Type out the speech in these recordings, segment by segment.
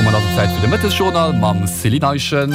Domat ass et Zäit fir de Mëttesjournal mam Céline Eischen.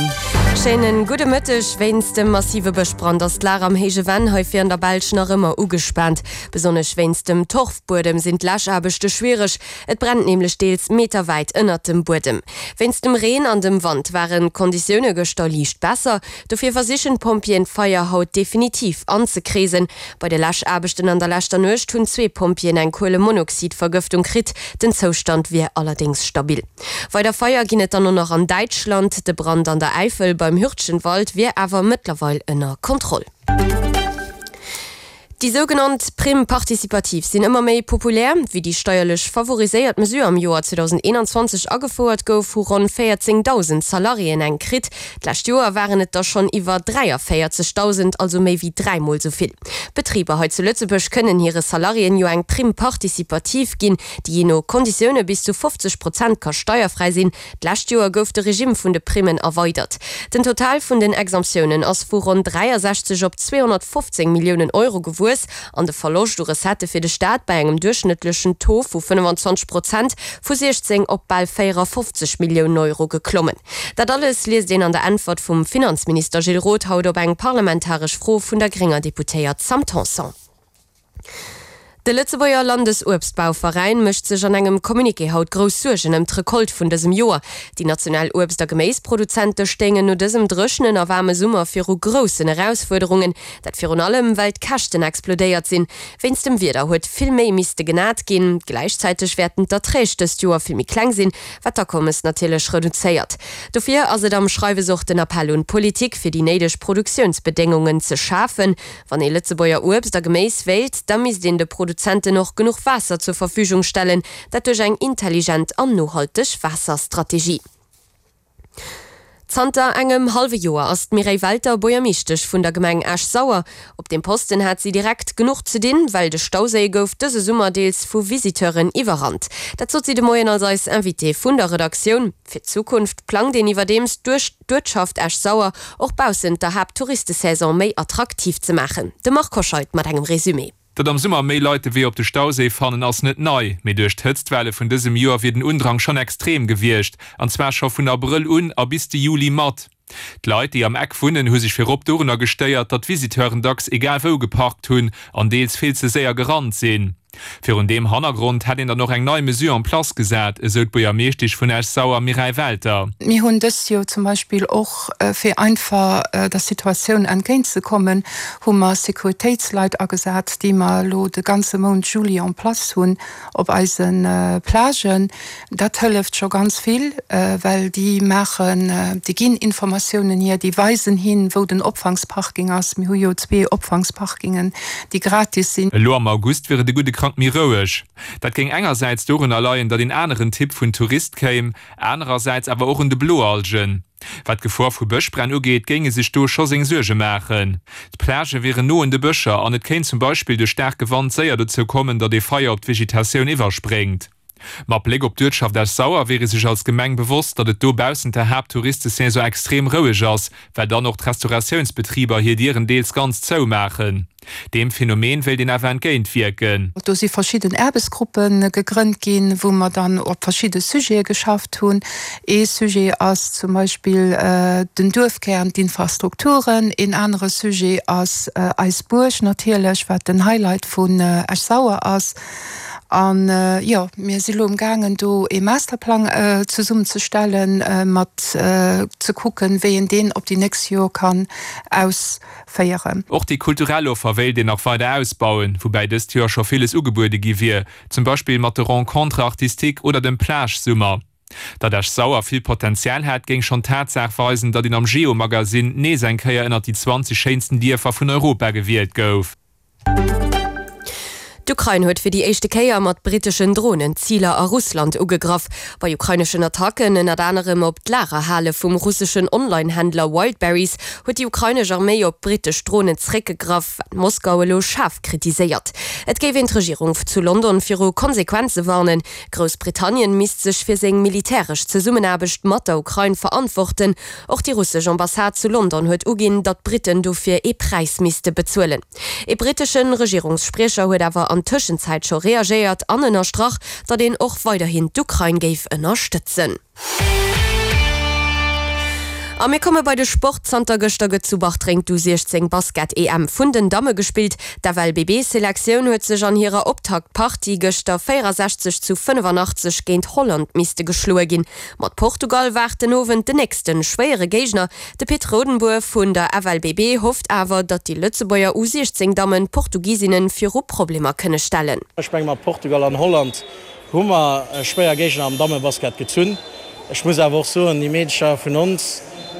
Schéinen gudde Mëtteg. Wéinst dem massive Bëschbrand ass d'Lag am Héije Venn hei fir an der Belsch nach ëmmer ugespaant. Besonnesch wéinst dem Torfbuedem sinn d'Läschaarbechte schwiereg. Et brennt nämlech deels meterwäit ënnert dem Buedem. Wéinst dem Reen an dem Wand waren d'Konditioune gëschter liicht besser. Dofir versichen d'Pompjeeën d'Feier haut definitiv anzekreesen. Bei de Läschaarbechten an der leschter Nuecht hunn zwee Pompjeeën eng Kuelemonoxidvergëftung kritt. Den Zoustand wier allerdéngs stabil. Weider Feier ginn et dann och nach an Däitschland. De Brand an der Äifel beim Hürtgenwald wier awer mëttlerweil ënner Kontroll. Déi sougenannt Prime participative sinn ëmmer méi populär. Wéi déi steierlech favoriséiert Mesure am Joer 2021 agefouert gouf, hu ronn 14.000 Salariéen eng kritt. D'lescht Joer waren et der schonn iwwer 43.000, also méi wéi dräimol esou vill. D'Betriber hei zu Lëtzebuerg kënnen hire Salariéen jo eng Prime participative ginn, déi jee no Konditioune bis zu 50 Prozent ka steierfräi sinn. D'lescht Joer gouf de Regimm vun de Primmen erweidert. Den Total vun den Exemptiounen ass vu ronn 63 op 215 Milliounen Euro gewuess an de Verloscht u Recettë fir de Staat bei engem duerchschnëttlechen Taux vu 25 Prozent vu 16 op bal 54 Milliounen Euro geklommen. Dat alles liest een an der Äntwert vum Finanzminister Gilles Roth haut op eng parlamentaresch Fro vun der grénger Deputéiert Sam Tanson. De Lëtzebuerger Landesuebstbauveräin mécht sech an engem Communiqué haut grouss Suergen ëm d'Recolte vun dësem Joer. Déi national Uebst a Geméisproduzente stéingen no dësem dréchenen a waarme Summer viru groussen Erausfuerderungen. Dat virun allem, well d'Käschten explodéiert sinn. Wéinst dem Wieder huet vill méi misste genat ginn. Gläichzäiteg wäerten d'Erträg dëst Joer vill méi kleng sinn, wat d'Akommes natierlech reduzéiert. Dofir ass et am Schreiwes och den Appell un d'Politik, fir déi néideg Produktiounsbedéngungen ze schafen. Wann ee Lëtzebuerger Uebst a Geméis wéilt, da misst een de Produzenten och genuch Waasser zur Verfügung stellen, dat duerch eng intelligent an nohalteg Waasserstrategie. Zanter engem hallwe Joer ass d'Mireille Welter Buergermeeschtesch vun der Gemeng Esch-Sauer. Op deem Posten hat si direkt genuch ze dinn, well de Stauséi gouf dëse Summer deels vu Visiteuren iwwerrannt. Dat sot si de Moien als eis Invitée vun der Redaktioun. Fir d'Zukunft plangt een iwwerdeems duerch d'Uertschaft Esch-Sauer och baussent der Haapttouristesaison méi attraktiv ze maachen. De Marc Hoscheid mat engem Resumé. Datt am Summer méi Leit de Wee op de Stauséi fannen, ass net nei. Mee duerch d'Hëtztwelle vun dësem Joer wier den Undrang schonn extrem gewiescht. An zwar scho vun Abrëll un a bis de Juli mat. D'Leit, déi am Eck wunnen, hu sech virop dorunner gestéiert, datt d'Visiteuren dacks egal wou geparkt hunn an deels vill ze séier gerannt sinn. Virun deem Hannergrond hätt een dann och eng nei Mesure en place gesat, esou d'Buergermeeschtesch vun Esch-Sauer Mireille Welter. Mir hunn dëst Joer zum Beispill och, fir einfach der Situatioun entgéintzekommen, hu mer Sécuritéitsleit agesat, déi mer elo de ganze Mount Juli en place hunn op eise Plagen. Dat hëlleft scho ganz vill, well déi maachen, déi ginn Informatiounen hier, déi weisen hin, wou den Opfangsparking ass. Mir hu jo zwee Opfangsparkingen, déi gratis sinn. Elo am August wier et e gudde Krank méi roueg. Dat géing engersäits dorunner leien, datt een aneren Typ vun Tourist kéim, anerersäits awer och un de Bloalgen. Wat d'Gefor vu Bëschbränn ugeet, géing e sech do scho seng Suerge maachen. D'Plagë wieren no un de Bëscher an et kéint zum Beispill duerch staarke Wand séier dozou kommen, datt ee Feier op d'Vegetatioun iwwerspréngt. Mat Bléck op d'Uertschaft Esch-Sauer wier ee sech als Gemeng bewosst, datt et do baussent der Haapttouristesaison extrem roueg ass, well dann och d'Restauratiounsbetriber hir Dieren deels ganz zou maachen. Deem Phänomen wéilt een awer entgéint wierken. Do si verschidden Aarbechtsgruppe gegrënnt ginn, wou mer dann op verschidde Sujete geschafft hunn. Ee Sujet ass zum Beispill den Duerfkär, d'Infrastrukturen. Een anere Sujet ass eis Buerg natierlech, wat den Highlight vun Esch-Sauer ass. An jo, mir si lo emgaangen do ee Masterplang zesummenzestellen, mat ze kucken, wéi een deen op déi nächst Joer kann ausféieren. Och déi kulturell Offer wéilt een nach weider ausbauen, woubäi dëst Joer scho villes ugebuede gi wier, zum Beispill mat de Rencontres artistiques oder dem Plage-Summer. Datt Esch-Sauer vill Potenzial hätt, géing schonn d'Tatsaach weisen, datt een am Geo-Magasinn nees eng Kéier ënnert déi 20 schéinsten Dierfer vun Europa gewielt gouf. D'Ukrain huet fir déi éischte Kéier mat britteschen Dronen Ziler a Russland ugegraff. Bei ukraineschen Attacken, ënnert anerem op d'Lagerhale vum russeschen Online-Händler Wildberries, huet déi ukrainesch Arméi op brittesch Dronen zeréckgegraff, wat Moskau elo schaarf kritiséiert. Et géif een d'Regierung zu London viru Konsequenze warnen. Groussbritannien misst sech fir seng militäresch Zesummenaarbecht mat der Ukrain verantworten. Och déi russesch Ambassade zu London huet uginn, datt d'Britten dofir ee Präis misste bezuelen. Ee brittesche Regierungsspriecher huet awer an. an Tëschenzäit scho reagéiert an ënnerstrach, datt een och weiderhin d'Ukrain géif ënnerstëtzen. A mir komme bei de Sport. Zanter gëschter gëtt zu Bartreng d'U16 Basket-EM vun den Damme gespillt. D'FLBB-Selektioun huet sech an hirer Optaktpartie gëschter 64 zu 85 géint Holland misste geschloe ginn. Mat Portugal waart den Owend den nächste schwéiere Géigner. De Pit Rodenbour vun der FLBB hofft awer, datt déi Lëtzebuerger U16-Dammen d'Portugisinnen viru Problemer kënne stellen. Ech menge mat Portugal an Holland Hu mer schwéier Géigner am Dammebasket gezunn. Ech muss awer och soen, déi Meedercher vun ons,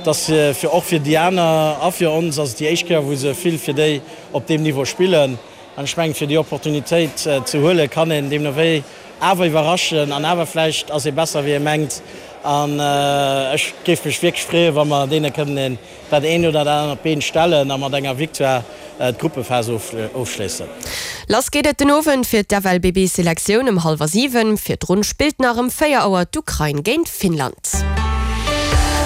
dass fir och fir déi aner a fir ons ass et déi éischt Kéier wou se vill fir déi op deem Niveau spillen. An ech mengen, fir déi Opportunitéit ze huelen, kann een deemno wéi awer iwwerraschen an awer vläicht ass ee besser wéi ee mengt. An ech géif mech wierklech freeën, wa mer deene kënnen een dat eent oder dat anert Been stellen a mat enger Victoire d'Gruppephas ofschléissen. Lass geet et den Owend fir d'FLBB-Selektioun ëm hallwer 7. Virdrun spillt nach ëm 4 Auer d'Ukrain géint Finnland.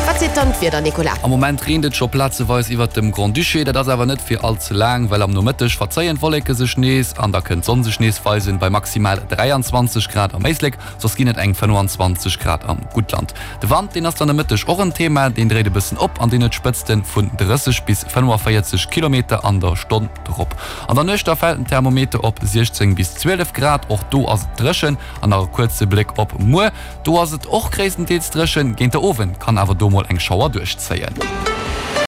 Wat seet dann d'Wieder, Nicolas? Am Moment reent et scho plazeweis iwwert dem Grand-Duché. Dat ass awer net fir all ze laang, well am Nomëtteg verzéien d'Wolleke sech nees an da kënnt d'Sonn sech nees weisen bei maximal 23 Grad am Éislek. Soss ginn et eng 25 Grad am Guttland. De Wand, deen ass dann e Mëtteg och en Thema, deen dréit e bëssen op an deen huet Spëtzte vun 30 bis 45 Kilometer an der Stonn drop. An der Nuecht da fält den Thermometer op 16 bis 12 Grad, och do ass et dréchen. An nach e kuerze Bléck op muer, do ass et och gréisstendeels dréchen, géint de Owend kann awer do mol eng Schauer duerchzéien.